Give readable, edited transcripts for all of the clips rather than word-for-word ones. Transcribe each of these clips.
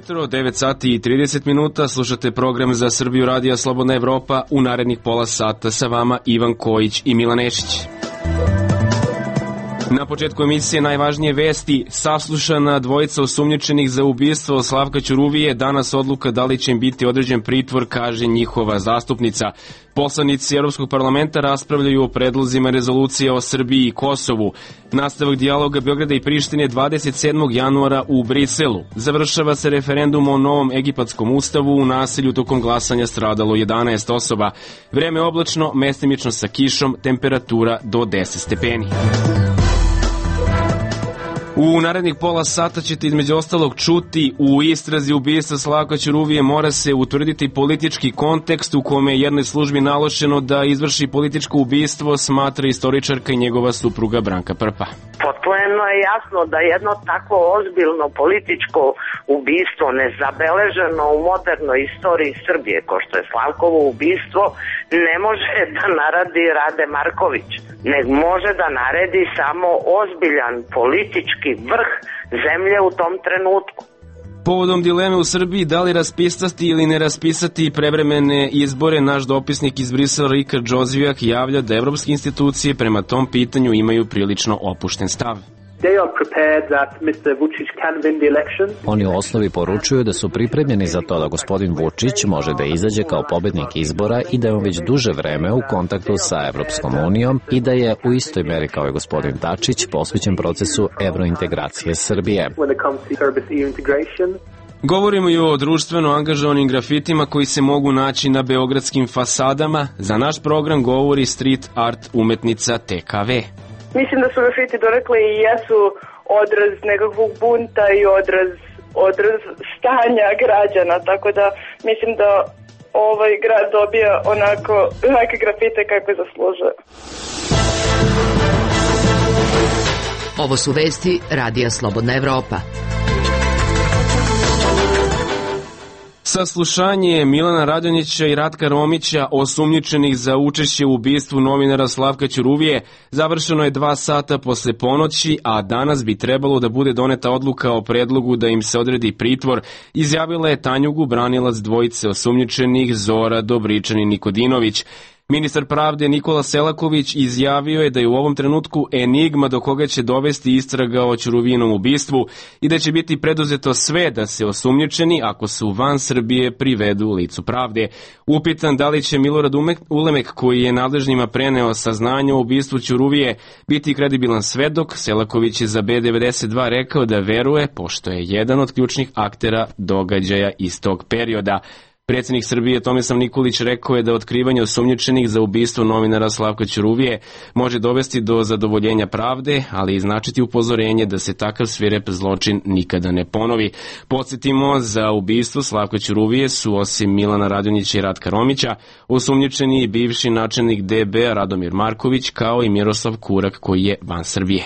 jutro, 9 sati i 30 minuta, slušate program za Srbiju Radija Slobodna Evropa. U narednih pola sata sa vama Ivan Kojić i Milan Nešić. Na početku emisije najvažnije vesti. Saslušana dvojica osumnjičenih za ubistvo Slavka Ćuruvije, danas odluka da li će im biti određen pritvor, kaže njihova zastupnica. Poslanici Evropskog parlamenta raspravljaju o predlozima rezolucije o Srbiji i Kosovu. Nastavak dijaloga Beograda i Prištine 27. januara u Briselu. Završava se referendum o novom egipatskom ustavu. U nasilju tokom glasanja stradalo 11 osoba. Vreme oblačno, mestimično sa kišom, temperatura do 10 stepeni. U narednih pola sata ćete između ostalog čuti: u istrazi ubistva Slavka Ćuruvije mora se utvrditi politički kontekst u kome je jednoj službi naloženo da izvrši političko ubistvo, smatra istoričarka i njegova supruga Branka Prpa. Potpuno je jasno da jedno tako ozbiljno političko ubistvo nezabeleženo u modernoj istoriji Srbije, kao što je Slavkovo ubistvo, ne može da naradi Rade Marković, nego može da naredi samo ozbiljan politički vrh zemlje u tom trenutku. Povodom dileme u Srbiji da li raspisati ili ne raspisati prevremene izbore, naš dopisnik iz Brisela Rika Džozvijak javlja da evropske institucije prema tom pitanju imaju prilično opušten stav. Oni u osnovi poručuju da su pripremljeni za to da gospodin Vučić može da izađe kao pobednik izbora i da je on već duže vreme u kontaktu sa Evropskom unijom i da je u istoj meri kao i gospodin Dačić posvećen procesu evrointegracije Srbije. Govorimo i o društveno angažovanim grafitima koji se mogu naći na beogradskim fasadama. Za naš program govori street art umetnica TKV. Mislim da su grafiti donekle i jesu odraz nekakvog bunta i odraz stanja građana, tako da mislim da ovaj grad dobija onake grafite kakve zaslužuje. Ovo su vesti Radija Slobodna Evropa. Saslušanje Milana Radonjića i Ratka Romića, osumnjičenih za učešće u ubistvu novinara Slavka Ćuruvije, završeno je 2 sata posle ponoći, a danas bi trebalo da bude doneta odluka o predlogu da im se odredi pritvor, izjavila je Tanjugu, branilac dvojice osumnjičenih Zora Dobričan i Nikodinović. Ministar pravde Nikola Selaković izjavio je da je u ovom trenutku enigma do koga će dovesti istraga o Ćuruvijinom ubistvu i da će biti preduzeto sve da se osumnjičeni, ako su van Srbije, privedu licu pravde. Upitan da li će Milorad Ulemek, koji je nadležnjima preneo saznanje o ubistvu Ćuruvije, biti kredibilan svedok, Selaković je za B92 rekao da veruje, pošto je jedan od ključnih aktera događaja iz tog perioda. Predsjednik Srbije Tomislav Nikolić rekao je da otkrivanje osumnjičenih za ubistvo novinara Slavka Ćuruvije može dovesti do zadovoljenja pravde, ali i značiti upozorenje da se takav svirep zločin nikada ne ponovi. Podsjetimo, za ubistvo Slavka Ćuruvije su osim Milana Radonjića i Ratka Romića osumnjičeni i bivši načelnik DB Radomir Marković, kao i Miroslav Kurak, koji je van Srbije.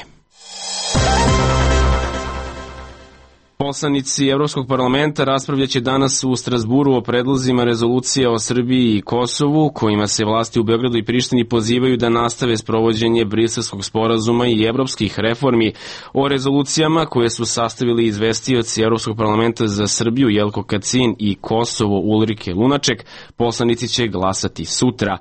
Poslanici Evropskog parlamenta raspravljaće danas u Strazburu o predlozima rezolucije o Srbiji i Kosovu, kojima se vlasti u Beogradu i Prištini pozivaju da nastave sprovođenje Briselskog sporazuma i evropskih reformi. O rezolucijama koje su sastavili izvestioci Evropskog parlamenta za Srbiju Jelko Kacin i Kosovo Ulrike Lunaček, poslanici će glasati sutra.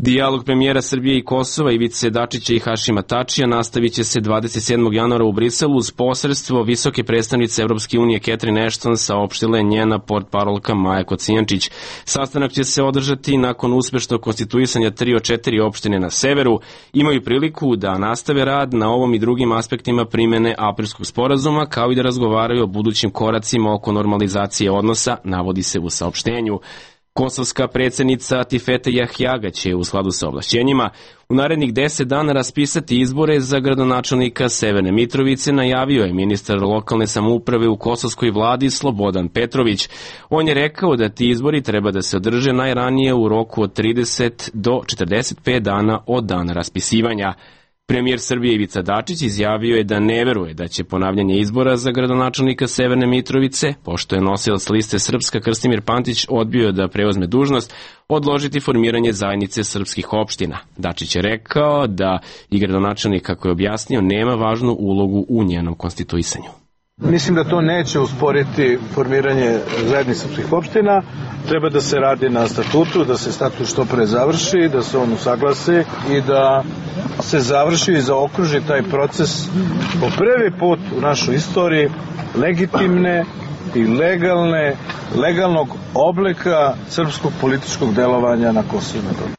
Dijalog premijera Srbije i Kosova Ivice Dačića i Hašima Tačija nastavit će se 27. januara u Briselu uz posredstvo visoke predstavnice Evropske unije Catherine Ashton, saopštila je njena portparolka Maja Kocijančić. Sastanak će se održati nakon uspešnog konstituisanja 3 od 4 opštine na severu. Imaju priliku da nastave rad na ovom i drugim aspektima primene Aprilskog sporazuma, kao i da razgovaraju o budućim koracima oko normalizacije odnosa, navodi se u saopštenju. Kosovska predsjednica Tifete Jahjaga će u skladu sa ovlašćenjima u narednih 10 dana raspisati izbore za gradonačelnika Severne Mitrovice, najavio je ministar lokalne samouprave u kosovskoj vladi Slobodan Petrović. On je rekao da ti izbori treba da se održe najranije u roku od 30 do 45 dana od dana raspisivanja. Premijer Srbije Ivica Dačić izjavio je da ne veruje da će ponavljanje izbora za gradonačelnika Severne Mitrovice, pošto je nosilac liste Srpska Krstimir Pantić odbio da preuzme dužnost, odložiti formiranje zajednice srpskih opština. Dačić je rekao da i gradonačelnik, kako je objasnio, nema važnu ulogu u njenom konstituisanju. Mislim da to neće usporiti formiranje zajednice srpskih opština. Treba da se radi na statutu, da se statut što pre završi, da se on usaglasi i da se završi i zaokruži taj proces po prvi put u našoj istoriji legitimne i legalnog oblika srpskog političkog delovanja na Kosovu i Metohiji.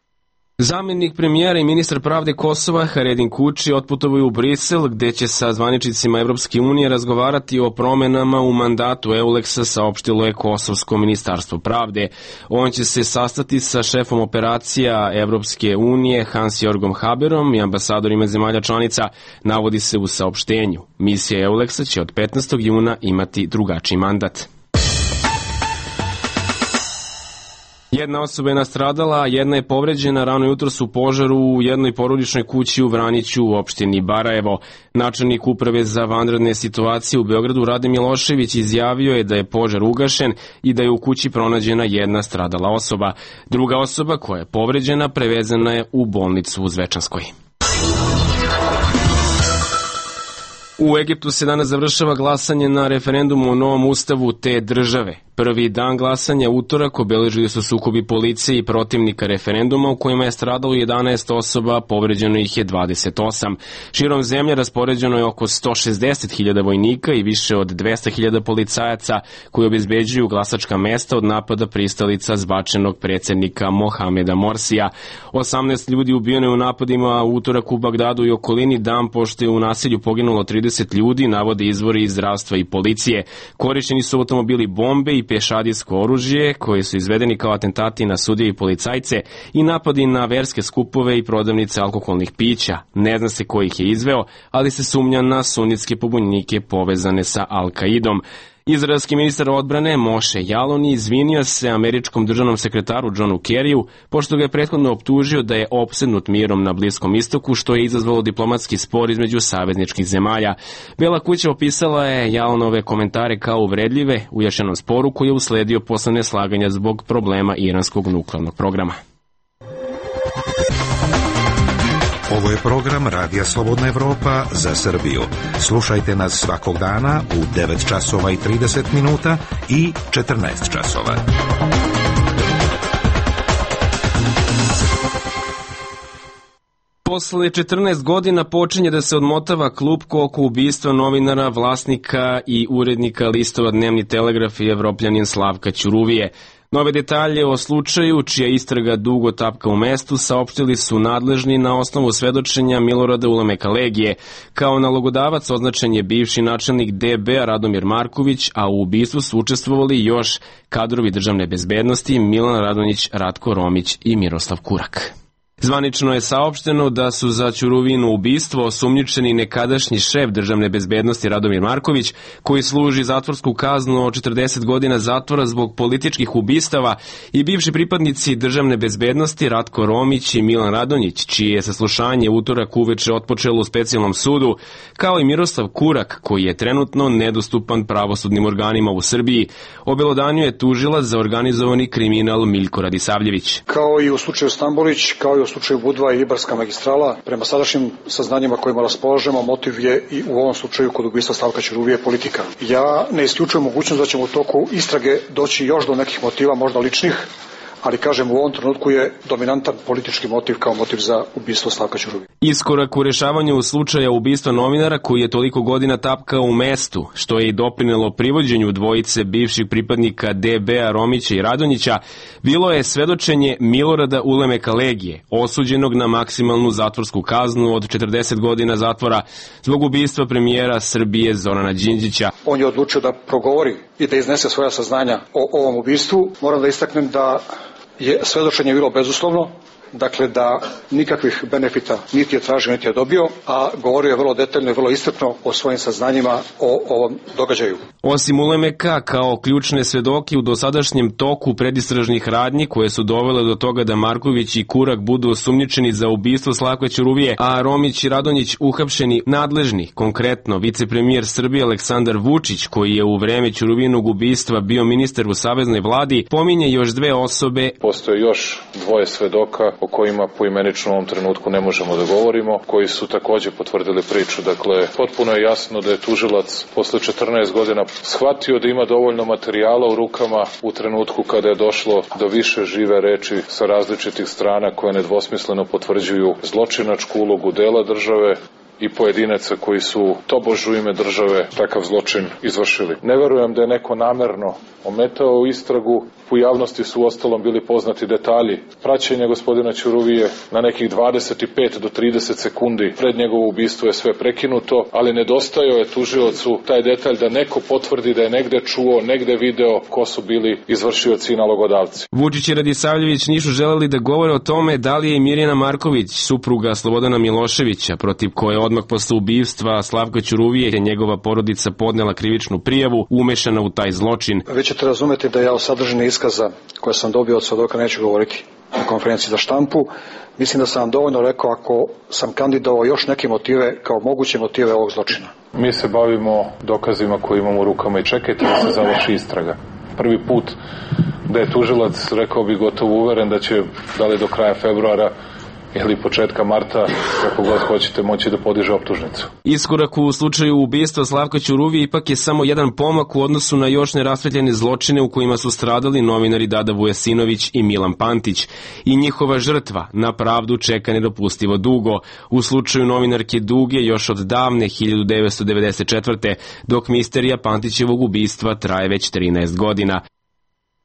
Zamjenik premijera i ministar pravde Kosova Haredin Kuči otputovaju u Brisel, gde će sa zvaničnicima Evropske unije razgovarati o promenama u mandatu EULEX-a, saopštilo je Kosovsko ministarstvo pravde. On će se sastati sa šefom operacija Evropske unije Hans-Jorgom Haberom i ambasadorima zemalja članica, navodi se u saopštenju. Misija EULEX-a će od 15. juna imati drugačiji mandat. Jedna osoba je nastradala, a jedna je povređena rano jutros u požaru u jednoj porodičnoj kući u Vraniću u opštini Barajevo. Načelnik uprave za vanredne situacije u Beogradu Rade Milošević izjavio je da je požar ugašen i da je u kući pronađena jedna stradala osoba. Druga osoba koja je povređena prevezena je u bolnicu u Zvečanskoj. U Egiptu se danas završava glasanje na referendumu o novom ustavu te države. Prvi dan glasanja, utorak, obeležili su sukobi policije i protivnika referenduma u kojima je stradalo 11 osoba, povređeno ih je 28. Širom zemlje raspoređeno je oko 160.000 vojnika i više od 200.000 policajaca koji obezbeđuju glasačka mesta od napada pristalica zbačenog predsjednika Mohameda Morsija. 18 ljudi ubijeno je u napadima u utorak u Bagdadu i okolini, dan pošto je u nasilju poginulo 30 ljudi, navode izvori iz zdravstva i policije. Korišćeni su automobili bombe i pešadijsko oružje, koji su izvedeni kao atentati na sudije i policajce i napadi na verske skupove i prodavnice alkoholnih pića. Ne zna se ko ih je izveo, ali se sumnja na sunitske pobunjenike povezane sa Al-Kaidom. Izraelski ministar odbrane Moše Jaloni izvinio se američkom državnom sekretaru Johnu Kerriju, pošto ga je prethodno optužio da je opsednut mirom na Bliskom istoku, što je izazvalo diplomatski spor između savezničkih zemalja. Bela kuća opisala je Jalonove komentare kao uvredljive u još jednom sporu koji je usledio posle neslaganja zbog problema iranskog nuklearnog programa. Ovo je program Radija Slobodna Evropa za Srbiju. Slušajte nas svakog dana u 9 časova i 30 minuta i 14 časova. Posle 14 godina počinje da se odmotava klupko oko ubistva novinara, vlasnika i urednika listova Dnevni telegraf i Evropljanin Slavka Ćuruvije. Nove detalje o slučaju, čija istraga dugo tapka u mestu, saopštili su nadležni na osnovu svedočenja Milorada Ulemeka Legije. Kao nalogodavac označen je bivši načelnik DB-a Radomir Marković, a u ubistvu su učestvovali još kadrovi državne bezbednosti Milan Radonjić, Ratko Romić i Miroslav Kurak. Zvanično je saopšteno da su za Ćuruvino ubistvo osumnjičeni nekadašnji šef državne bezbednosti Radomir Marković, koji služi zatvorsku kaznu od 40 godina zatvora zbog političkih ubistava, i bivši pripadnici državne bezbednosti Ratko Romić i Milan Radonjić, čije je saslušanje utorak uveče otpočelo u specijalnom sudu, kao i Miroslav Kurak, koji je trenutno nedostupan pravosudnim organima u Srbiji. Obelodanjuje tužilac za organizovani kriminal Miljko Radisavljević. Kao i u slučaju Stambolić, kao i u slučaju Budva i Ibarska magistrala, prema sadašnjim saznanjima kojima raspolažemo, motiv je i u ovom slučaju kod ubistva Slavka Ćuruvije politika. Ja ne isključujem mogućnost da ćemo u toku istrage doći još do nekih motiva, možda ličnih, ali kažem, u ovom trenutku je dominantan politički motiv kao motiv za ubistvo Slavka Ćuruvije. Iskorak u rešavanju slučaja ubistva novinara koji je toliko godina tapkao u mestu, što je i doprinelo privođenju dvojice bivših pripadnika DB-a Romića i Radonjića, bilo je svedočenje Milorada Ulemeka Legije, osuđenog na maksimalnu zatvorsku kaznu od 40 godina zatvora zbog ubistva premijera Srbije Zorana Đinđića. On je odlučio da progovori i da iznese svoja saznanja o ovom ubistvu. Moram da istaknem da je svedočenje bilo bezuslovno, dakle da nikakvih benefita niti je tražio, niti je dobio, a govorio je vrlo detaljno i vrlo iscrpno o svojim saznanjima o ovom događaju. Osim Ulemeka, kao ključne svedoke u dosadašnjem toku predistražnih radnji koje su dovele do toga da Marković i Kurak budu osumnjičeni za ubistvo Slavka Ćuruvije, a Romić i Radonjić uhapšeni, nadležni, konkretno vicepremijer Srbije Aleksandar Vučić, koji je u vreme Ćuruvinog ubistva bio ministar u saveznoj vladi, pominje još dve osobe. Postoje još dvoje svedoka o kojima poimenično u ovom trenutku ne možemo da govorimo, koji su takođe potvrdili priču. Dakle, potpuno je jasno da je tužilac posle 14 godina shvatio da ima dovoljno materijala u rukama u trenutku kada je došlo do više žive reči sa različitih strana koje nedvosmisleno potvrđuju zločinačku ulogu dela države i pojedinaca koji su tobož u ime države takav zločin izvršili. Ne verujem da je neko namerno ometao istragu. U javnosti su uostalom bili poznati detalji praćenja gospodina Ćuruvije. Na nekih 25 do 30 sekundi pred njegovo ubistvo je sve prekinuto, ali nedostajao je tužiocu taj detalj da neko potvrdi da je negde čuo, negde video ko su bili izvršioci i nalogodavci. Vučić i Radisavljević nisu želeli da govore o tome da li je Mirjana Marković, supruga Slobodana Miloševića, protiv koje odmah posle ubistva Slavka Ćuruvije je njegova porodica podnela krivičnu prijavu, umešana u taj zločin. Vi ćete razumeti da ja o sadržini iskaza koje sam dobio od svedoka neću govoriti na konferenciji za štampu. Mislim da sam vam dovoljno rekao ako sam kandidovao još neke motive kao moguće motive ovog zločina. Mi se bavimo dokazima koje imamo u rukama i čekajte da se završi istraga. Prvi put da je tužilac, rekao bi gotovo uveren da će, da li do kraja februara ili početka marta, kako god hoćete, moći da podiže optužnicu. Iskorak u slučaju ubistva Slavka Ćuruvije ipak je samo jedan pomak u odnosu na još nerasvetljene zločine u kojima su stradali novinari Dada Vujasinović i Milan Pantić. I njihova žrtva na pravdu čeka nedopustivo dugo. U slučaju novinarke Duge još od davne 1994. dok misterija Pantićevog ubistva traje već 13 godina.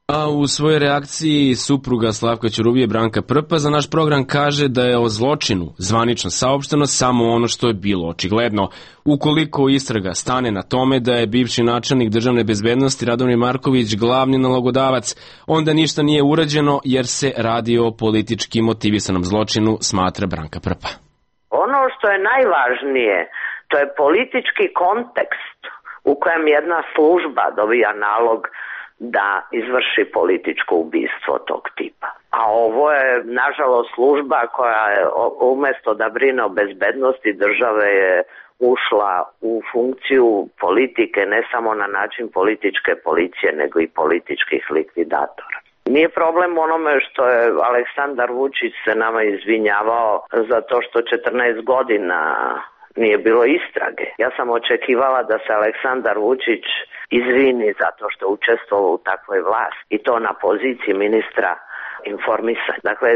A u svojoj reakciji supruga Slavka Ćuruvije Branka Prpa za naš program kaže da je o zločinu zvanično saopšteno samo ono što je bilo očigledno. Ukoliko istraga stane na tome da je bivši načelnik državne bezbednosti Radomir Marković glavni nalogodavac, onda ništa nije urađeno jer se radi o politički motivisanom zločinu, smatra Branka Prpa. Ono što je najvažnije, to je politički kontekst u kojem jedna služba dobija nalog da izvrši političko ubistvo tog tipa. A ovo je, nažalost, služba koja je, umjesto da brine o bezbednosti države, je ušla u funkciju politike, ne samo na način političke policije, nego i političkih likvidatora. Nije problem onome što je Aleksandar Vučić se nama izvinjavao zato što 14 godina nije bilo istrage. Ja sam očekivala da se Aleksandar Vučić izvini zato što je učestvovao u takvoj vlasti i to na poziciji ministra informisanja. Dakle,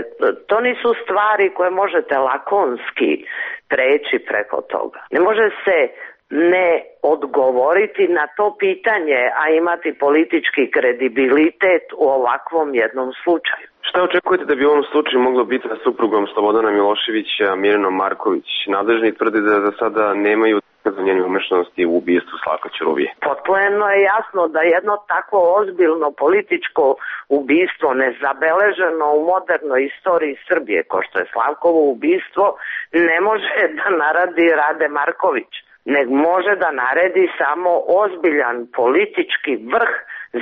to nisu stvari koje možete lakonski preći preko toga. Ne može se ne odgovoriti na to pitanje, a imati politički kredibilitet u ovakvom jednom slučaju. Šta očekujete da bi u ovom slučaju moglo biti sa suprugom Slobodana Miloševića, Mirjanom Marković? Nadležni tvrde da za sada nemaju dokaza njene umešanosti u ubistvu Slavka Ćuruvije. Potpuno je jasno da jedno tako ozbiljno političko ubistvo, nezabeleženo u modernoj istoriji Srbije, kao što je Slavkovo ubistvo, ne može da naradi Rade Marković, nego može da naredi samo ozbiljan politički vrh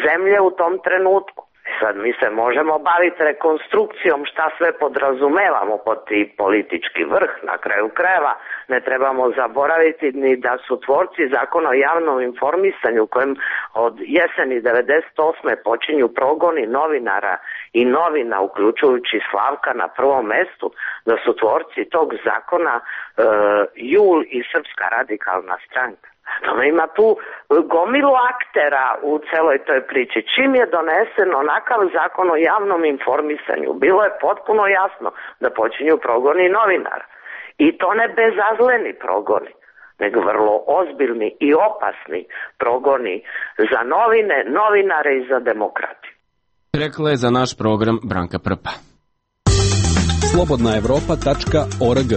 zemlje u tom trenutku. Sad mi se možemo baviti rekonstrukcijom šta sve podrazumevamo pod ti politički vrh. Na kraju krajeva ne trebamo zaboraviti ni da su tvorci zakona o javnom informisanju kojem od jeseni 98. počinju progoni novinara i novina, uključujući Slavka na prvom mestu, da su tvorci tog zakona JUL i Srpska radikalna stranka. Ima tu gomilu aktera u celoj toj priči. Čim je donesen onakav zakon o javnom informisanju, bilo je potpuno jasno da počinju progoni novinara. I to ne bezazleni progoni, nego vrlo ozbiljni i opasni progoni za novine, novinare i za demokratiju. Rekla je za naš program Branka Prpa. Slobodnaevropa.org.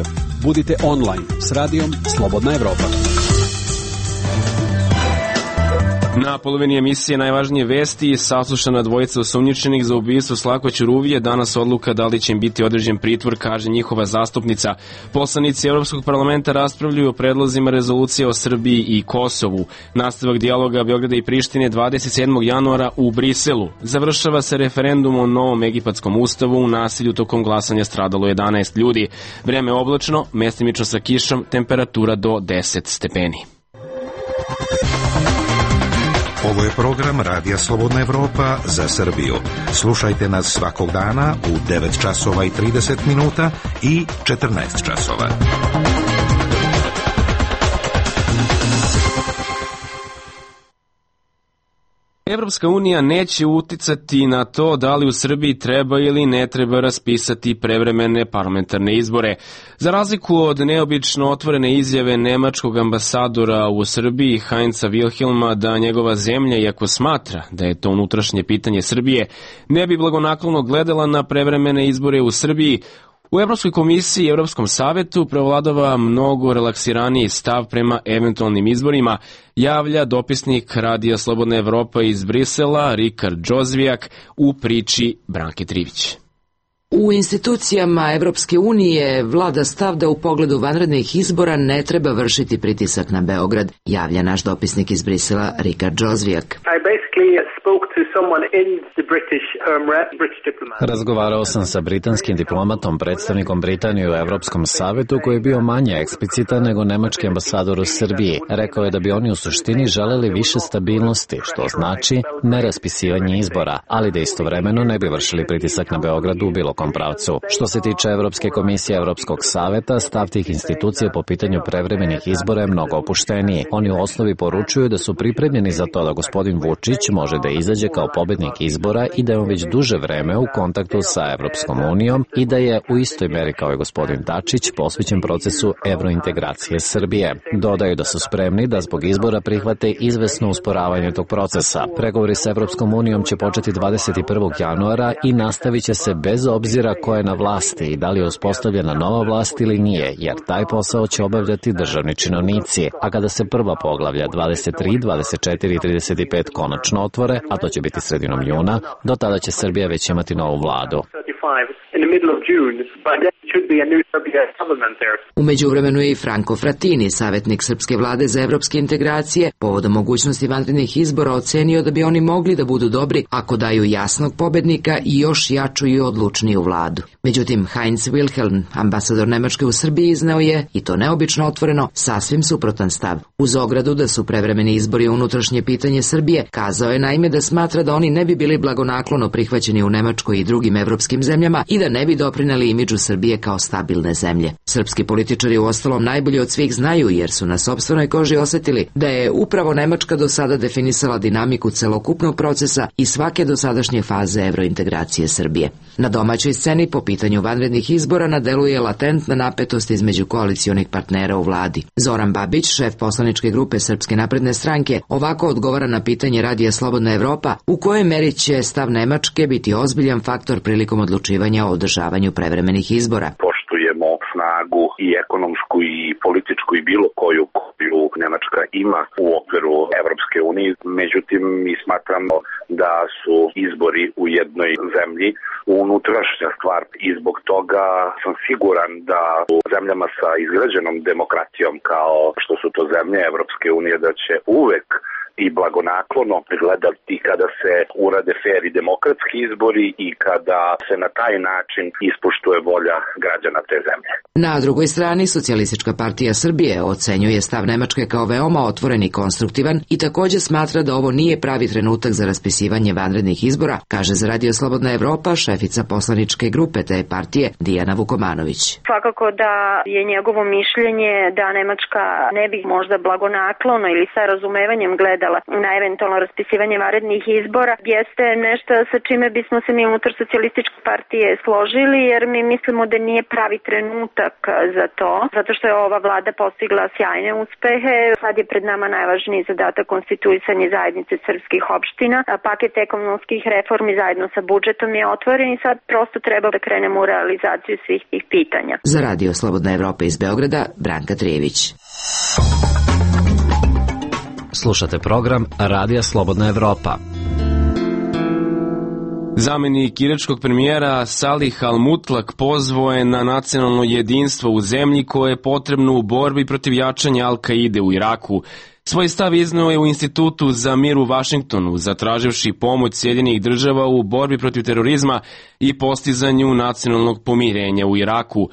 Budite online s radijom Slobodna Evropa. Na polovini emisije najvažnije vesti, saslušana dvojica osumnjičenih za ubistvo Slavka Ćuruvije, danas odluka da li će im biti određen pritvor, kaže njihova zastupnica. Poslanici Evropskog parlamenta raspravljaju o predlozima rezolucije o Srbiji i Kosovu. Nastavak dijaloga Beograda i Prištine 27. januara u Briselu. Završava se referendum o novom egipatskom ustavu, u nasilju tokom glasanja stradalo 11 ljudi. Vreme oblačno, mestimično sa kišom, temperatura do 10 stepeni. Ovo je program Radija Slobodna Evropa za Srbiju. Slušajte nas svakog dana u 9 časova i 30 minuta i 14 časova. Evropska unija neće uticati na to da li u Srbiji treba ili ne treba raspisati prevremene parlamentarne izbore. Za razliku od neobično otvorene izjave nemačkog ambasadora u Srbiji Heinza Wilhelma da njegova zemlja, iako smatra da je to unutrašnje pitanje Srbije, ne bi blagonaklono gledala na prevremene izbore u Srbiji, u Evropskoj komisiji i Evropskom savetu prevladava mnogo relaksiraniji stav prema eventualnim izborima, javlja dopisnik Radija Slobodna Evropa iz Brisela Rikard Džozvijak u priči Branke Trivić. U institucijama Evropske unije vlada stav da u pogledu vanrednih izbora ne treba vršiti pritisak na Beograd, javlja naš dopisnik iz Brisela Rikard Džozvijak. Razgovarao sam sa britanskim diplomatom, predstavnikom Britanije u Evropskom savetu, koji je bio manje eksplicitan nego nemački ambasador u Srbiji. Rekao je da bi oni u suštini želeli više stabilnosti, što znači neraspisivanje izbora, ali da istovremeno ne bi vršili pritisak na Beograd u bilo kom pravcu. Što se tiče Evropske komisije Evropskog saveta, stav tih institucija po pitanju prevremenih izbora je mnogo opušteniji. Oni u osnovi poručuju da su pripremljeni za to da gospodin Vučić može da izađe kao pobednik izbora i da je on već duže vreme u kontaktu sa Evropskom unijom i da je u istoj meri kao i gospodin Dačić posvećen procesu evrointegracije Srbije. Dodaju da su spremni da zbog izbora prihvate izvesno usporavanje tog procesa. Pregovori sa Evropskom unijom će početi 21. januara i nastavit će se bez obzira ko je na vlasti i da li je uspostavljena nova vlast ili nije, jer taj posao će obavljati državni činovnici. A kada se prva poglavlja 23, 24 i 35 konačno otvore, a to će biti sredinom juna, do tada će Srbija već imati novu vladu. U međuvremenu je i Franco Frattini, savjetnik srpske vlade za evropske integracije, povodom mogućnosti vanrednih izbora ocenio da bi oni mogli da budu dobri ako daju jasnog pobednika i još jaču i odlučniju vladu. Međutim, Heinz Wilhelm, ambasador Nemačke u Srbiji, izneo je, i to neobično otvoreno, sasvim suprotan stav. Uz ogradu da su prevremeni izbori unutrašnje pitanje Srbije, kazao je naime da smatra da oni ne bi bili blagonaklono prihvaćeni u Nemačkoj i drugim evropskim zemljama i da ne bi doprineli imidžu Srbije kao stabilne zemlje. Srpski političari uostalom najbolje od svih znaju, jer su na sopstvenoj koži osetili da je upravo Nemačka do sada definisala dinamiku celokupnog procesa i svake dosadašnje faze evrointegracije Srbije. Na domaćoj sceni po pitanju vanrednih izbora na delu je latentna napetost između koalicionih partnera u vladi. Zoran Babić, šef poslaničke grupe Srpske napredne stranke, ovako odgovara na pitanje Radija Slobodna Evropa u kojoj meri će stav Nemačke biti ozbiljan faktor prilikom odlučivanja o održavanju prevremenih izbora. Poštujemo snagu i ekonomsku i političku i bilo koju Nemačka ima u okviru Evropske unije. Međutim, mi smatramo da su izbori u jednoj zemlji unutrašnja stvar i zbog toga sam siguran da u zemljama sa izgrađenom demokratijom kao što su to zemlje Evropske unije da će uvek i blagonaklono gledati kada se urade fer i demokratski izbori i kada se na taj način ispoštuje volja građana te zemlje. Na drugoj strani, Socijalistička partija Srbije ocenjuje stav Nemačke kao veoma otvoren i konstruktivan i takođe smatra da ovo nije pravi trenutak za raspisivanje vanrednih izbora, kaže za Radio Slobodna Evropa šefica poslaničke grupe te partije Dijana Vukomanović. Svakako da je njegovo mišljenje da Nemačka ne bi možda blagonaklono ili sa razumevanjem gledala na eventualno raspisivanje vanrednih izbora jeste nešto sa čime bismo se mi unutar Socijalističke partije složili, jer mi mislimo da nije pravi trenutak za to, zato što je ova vlada postigla sjajne uspehe. Sad je pred nama najvažniji zadatak konstituisanje zajednice srpskih opština, a paket ekonomskih reformi zajedno sa budžetom je otvoren i sad prosto treba da krenemo u realizaciju svih tih pitanja. Za Radio Slobodna Evropa iz Beograda, Branka Trijević. Slušate program Radija Slobodna Evropa. Zamenik iračkog premijera Salih al-Mutlak pozvao je na nacionalno jedinstvo u zemlji koje je potrebno u borbi protiv jačanja Al-Kaide u Iraku. Svoj stav izneo je u Institutu za mir u Vašingtonu, zatraživši pomoć Sjedinjenih država u borbi protiv terorizma i postizanju nacionalnog pomirenja u Iraku.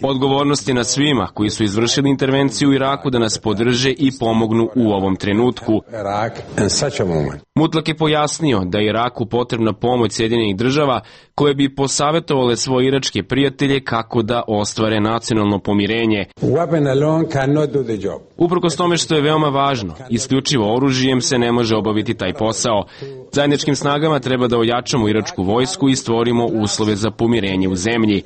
Odgovornost je na svima koji su izvršili intervenciju u Iraku da nas podrže i pomognu u ovom trenutku. Mutlak je pojasnio da je Iraku potrebna pomoć Sjedinjenih država koje bi posavjetovale svoje iračke prijatelje kako da ostvare nacionalno pomirenje. Uprkos tome što je veoma važno, isključivo oružjem se ne može obaviti taj posao. Zajedničkim snagama treba da ojačamo iračku vojsku i stvorimo uslove za pomirenje u zemlji.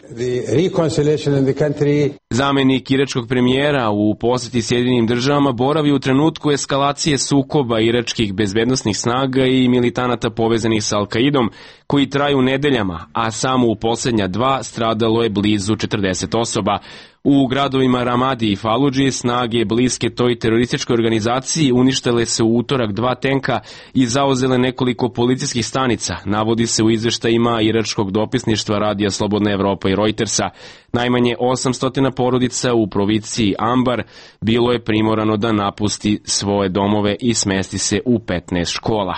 Zamenik iračkog premijera u posjeti Sjedinjenim državama boravi u trenutku eskalacije sukoba iračkih bezbednosnih snaga i militanata povezanih sa Al-Kaidom, koji traju nedeljama, a samo u posljednja 2 stradalo je blizu 40 osoba. U gradovima Ramadi i Faludži snage bliske toj terorističkoj organizaciji uništile se u utorak 2 tenka i zauzele nekoliko policijskih stanica, navodi se u izveštajima iračkog dopisništva Radija Slobodna Evropa i Reutersa. Najmanje 800 porodica u provinciji Ambar bilo je primorano da napusti svoje domove i smesti se u 15 škola.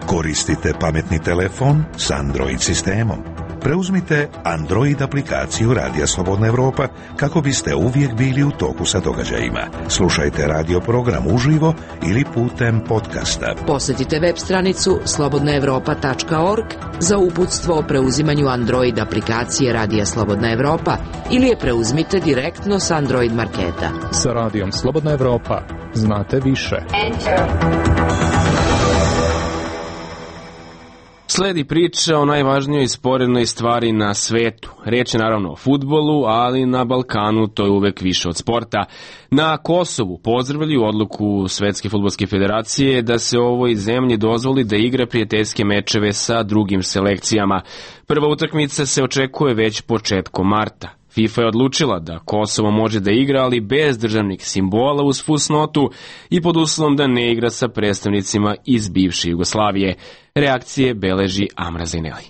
Koristite pametni telefon s Android sistemom. Preuzmite Android aplikaciju Radija Slobodna Evropa kako biste uvijek bili u toku sa događajima. Slušajte radio program uživo ili putem podcasta. Posjetite web stranicu slobodnaevropa.org za uputstvo o preuzimanju Android aplikacije Radija Slobodna Evropa ili je preuzmite direktno s Android marketa. Sa Radijom Slobodna Evropa znate više. Sledi priča o najvažnijoj sporednoj stvari na svetu. Reč je naravno o fudbalu, ali na Balkanu to je uvek više od sporta. Na Kosovu pozdravljaju odluku Svetske fudbalske federacije da se ovoj zemlji dozvoli da igra prijateljske mečeve sa drugim selekcijama. Prva utakmica se očekuje već početkom marta. FIFA je odlučila da Kosovo može da igra, ali bez državnih simbola uz fusnotu i pod uslovom da ne igra sa predstavnicima iz bivše Jugoslavije. Reakcije beleži Amra Zaineli.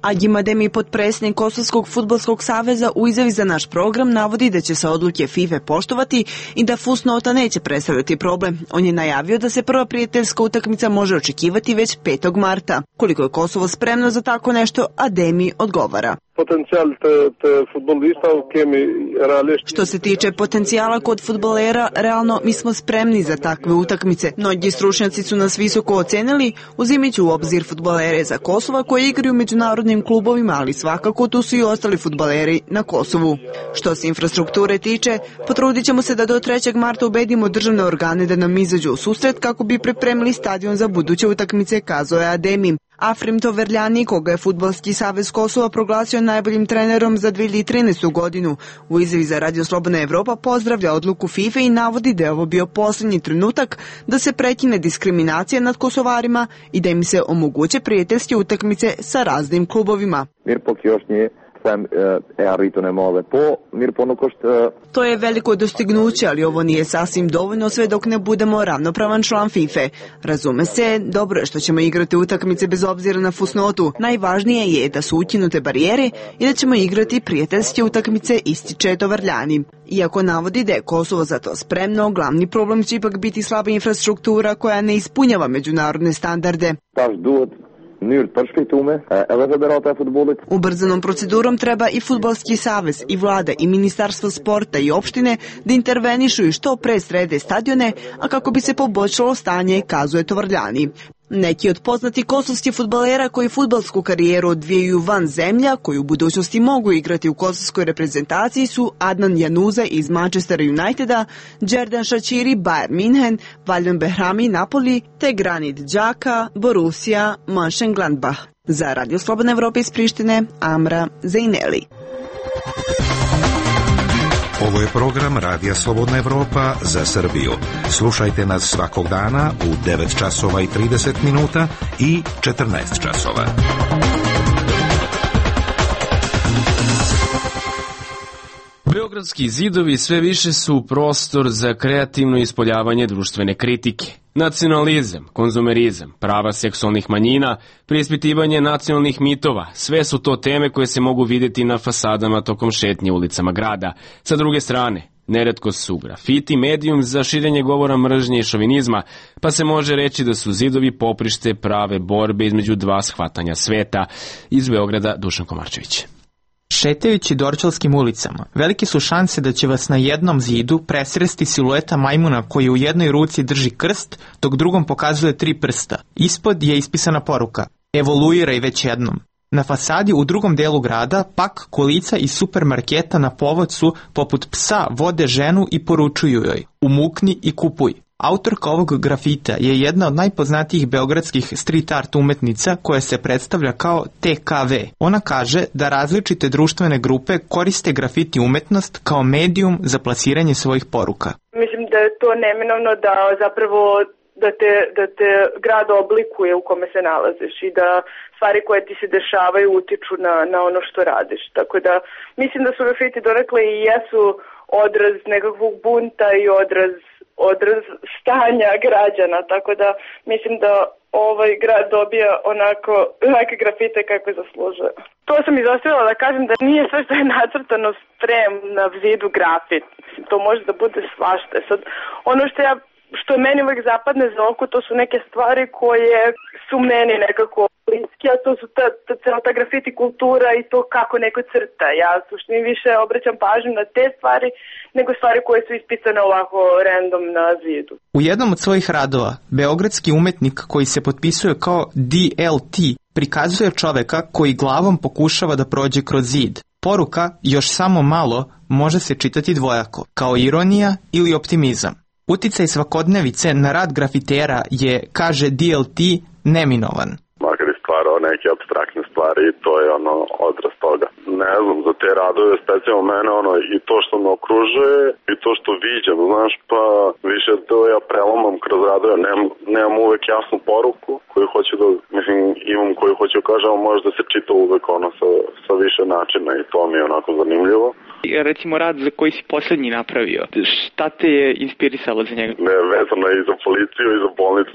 Agim Ademi, potpredsjednik Kosovskog fudbalskog saveza, u izjavi za naš program navodi da će se odluke FIFA poštovati i da fusnota neće predstavljati problem. On je najavio da se prva prijateljska utakmica može očekivati već 5. marta. Koliko je Kosovo spremno za tako nešto, Ademi odgovara. Što se tiče potencijala kod fudbalera, realno mi smo spremni za takve utakmice. Mnogi stručnjaci su nas visoko ocenili, uzimajući u obzir fudbalere za Kosova koji igraju u međunarodnim klubovima, ali svakako tu su i ostali fudbaleri na Kosovu. Što se infrastrukture tiče, potrudit ćemo se da do 3. marta ubedimo državne organe da nam izađu u susret kako bi pripremili stadion za buduće utakmice, kazao je Ademi. Afrim Toverljani, koga je Fudbalski savez Kosova proglasio najboljim trenerom za 2013. godinu, u izjavi za Radio Slobodna Evropa pozdravlja odluku FIFA i navodi da je ovo bio posljednji trenutak da se prekine diskriminacija nad Kosovarima i da im se omoguće prijateljske utakmice sa raznim klubovima. To je veliko dostignuće, ali ovo nije sasvim dovoljno sve dok ne budemo ravnopravan član FIFA. Razume se, dobro je što ćemo igrati utakmice bez obzira na fusnotu. Najvažnije je da su ukinute barijere i da ćemo igrati prijateljske utakmice, ističe Toverljani. Iako navodi da je Kosovo za to spremno, glavni problem će ipak biti slaba infrastruktura koja ne ispunjava međunarodne standarde. Ubrzanom procedurom treba i Fudbalski savez, i vlada, i Ministarstvo sporta, i opštine da intervenišu i što pre srede stadione, a kako bi se poboljšalo stanje, kazuje Toverljani. Neki od poznatih kosovskih fudbalera koji fudbalsku karijeru odvijaju van zemlja, koji u budućnosti mogu igrati u kosovskoj reprezentaciji su Adnan Januza iz Manchester Uniteda, Džerdan Šačiri, Bayern München, Valjan Behrami, Napoli, te Granit Đaka, Borussia Mönchengladbach. Za Radio Slobodna Evropa iz Prištine, Amra Zaineli. Ovo je program Radija Slobodna Evropa za Srbiju. Slušajte nas svakog dana u 9 časova i 30 minuta i 14 časova. Beogradski zidovi sve više su prostor za kreativno ispoljavanje društvene kritike. Nacionalizam, konzumerizam, prava seksualnih manjina, preispitivanje nacionalnih mitova, sve su to teme koje se mogu vidjeti na fasadama tokom šetnje ulicama grada. Sa druge strane, Neretko su grafiti medijum za širenje govora mržnje i šovinizma, pa se može reći da su zidovi poprište prave borbe između dva shvatanja sveta. Iz Beograda Dušan Komarčević. Šetajući Dorćolskim ulicama, velike su šanse da će vas na jednom zidu presresti silueta majmuna koji u jednoj ruci drži krst, dok drugom pokazuje 3 prsta. Ispod je ispisana poruka: evoluiraj već jednom. Na fasadi u drugom delu grada pak kolica iz supermarketa na povodcu poput psa vode ženu i poručuju joj: umukni i kupuj. Autorka ovog grafita je jedna od najpoznatijih beogradskih street art umetnica koja se predstavlja kao TKV. Ona kaže da različite društvene grupe koriste grafiti umetnost kao medijum za plasiranje svojih poruka. Mislim da je to neminovno da zapravo da te grad oblikuje u kome se nalaziš i da stvari koje ti se dešavaju utiču na ono što radiš. Tako da mislim da su grafiti donekle i jesu odraz nekakvog bunta i odraz stanja građana, tako da mislim da ovaj grad dobija onake grafite kako zaslužuje. To sam izostavila da kažem da nije sve što je nacrtano sprem na zidu grafit. To može da bude svašta. Sad, ono što je meni uvek zapadne za oko, to su neke stvari koje su meni nekako bliske, a to su ta grafiti kultura i to kako neko crta. Ja suštini više obraćam pažnju na te stvari nego stvari koje su ispisane ovako random na zidu. U jednom od svojih radova, beogradski umetnik koji se potpisuje kao DLT prikazuje čoveka koji glavom pokušava da prođe kroz zid. Poruka "još samo malo" može se čitati dvojako, kao ironija ili optimizam. Uticaj svakodnevice na rad grafitera je, kaže DLT, neminovan. Makar je stvarao neke apstraktne stvari i to je odraz toga. Ne znam, za te radove specijalno mene i to što me okružuje i to što viđam, znaš, pa više to ja prelomam kroz radove, nemam uvek jasnu poruku koju hoću da, imam koju hoću da kažem, može da se čita uvek sa više načina i to mi je onako zanimljivo. Recimo rad za koji si poslednji napravio, šta te je inspirisalo za njega? Ne, vezano i za policiju i za bolnicu,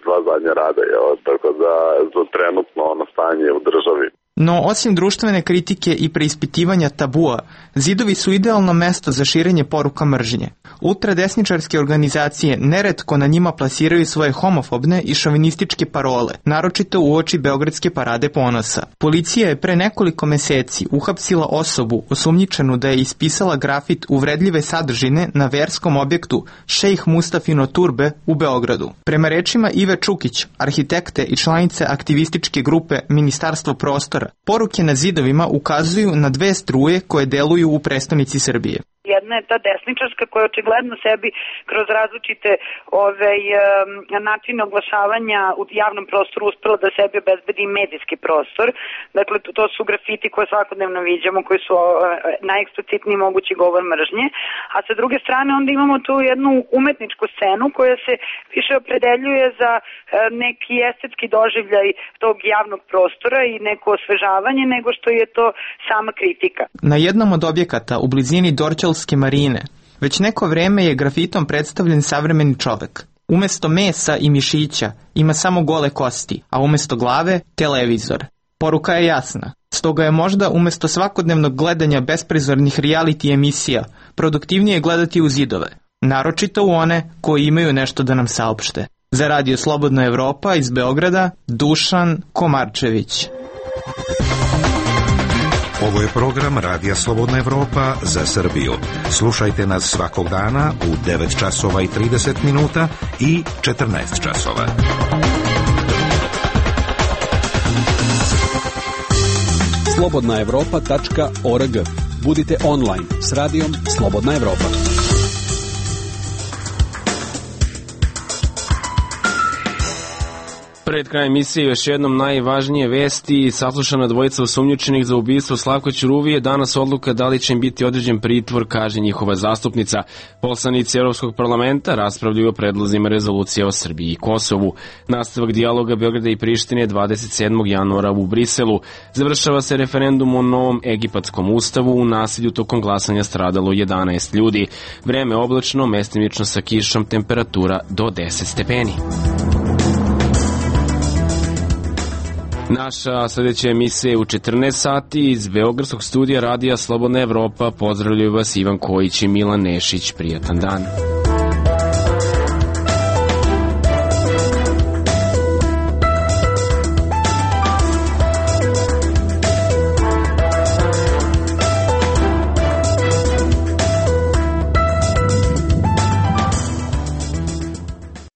dva zadnja rada, tako da za trenutno stanje u državi. No, osim društvene kritike i preispitivanja tabua, zidovi su idealno mesto za širenje poruka mržnje. Ultradesničarske organizacije neretko na njima plasiraju svoje homofobne i šovinističke parole, naročito uoči Beogradske parade ponosa. Policija je pre nekoliko meseci uhapsila osobu osumnjičenu da je ispisala grafit uvredljive sadržine na verskom objektu Šejh Mustafino Turbe u Beogradu. Prema rečima Ive Čukić, arhitekte i članice aktivističke grupe Ministarstvo prostora, poruke na zidovima ukazuju na dve struje koje deluju u prestonici Srbije. Jedna je ta desničarska koja očigledno sebi kroz različite načine oglašavanja u javnom prostoru uspela da sebi obezbedi medijski prostor. Dakle, to su grafiti koje svakodnevno viđamo, koji su najeksplicitniji mogući govor mržnje. A sa druge strane onda imamo tu jednu umetničku scenu koja se više opredeljuje za neki estetski doživljaj tog javnog prostora i neko osvežavanje nego što je to sama kritika. Na jednom od objekata u blizini Dorćolske marine već neko vreme je grafitom predstavljen savremeni čovek. Umesto mesa i mišića ima samo gole kosti, a umesto glave televizor. Poruka je jasna. Stoga je možda umesto svakodnevnog gledanja besprizornih reality emisija produktivnije gledati u zidove, naročito u one koji imaju nešto da nam saopšte. Za Radio Slobodna Evropa iz Beograda, Dušan Komarčević. Ovo je program Radija Slobodna Evropa za Srbiju. Slušajte nas svakog dana u 9 časova i 30 minuta i 14 časova. slobodnaevropa.org. Budite online s radijom Slobodna Evropa. Pred krajem emisije još jednom najvažnije vesti. Saslušana dvojica osumnjičenih za ubistvo Slavka Ćuruvije. Danas odluka da li će im biti određen pritvor, kaže njihova zastupnica. Poslanici Evropskog parlamenta raspravljaju o predlozima rezolucije o Srbiji i Kosovu. Nastavak dijaloga Beograda i Prištine 27. januara u Briselu. Završava se referendum o novom egipatskom ustavu. U nasilju tokom glasanja stradalo 11 ljudi. Vreme oblačno, mestimično sa kišom, temperatura do 10 stepeni. Naša sljedeća emisija je u 14 sati iz Beogradskog studija Radija Slobodna Evropa. Pozdravljaju vas Ivan Kojić i Milan Nešić. Prijatan dan.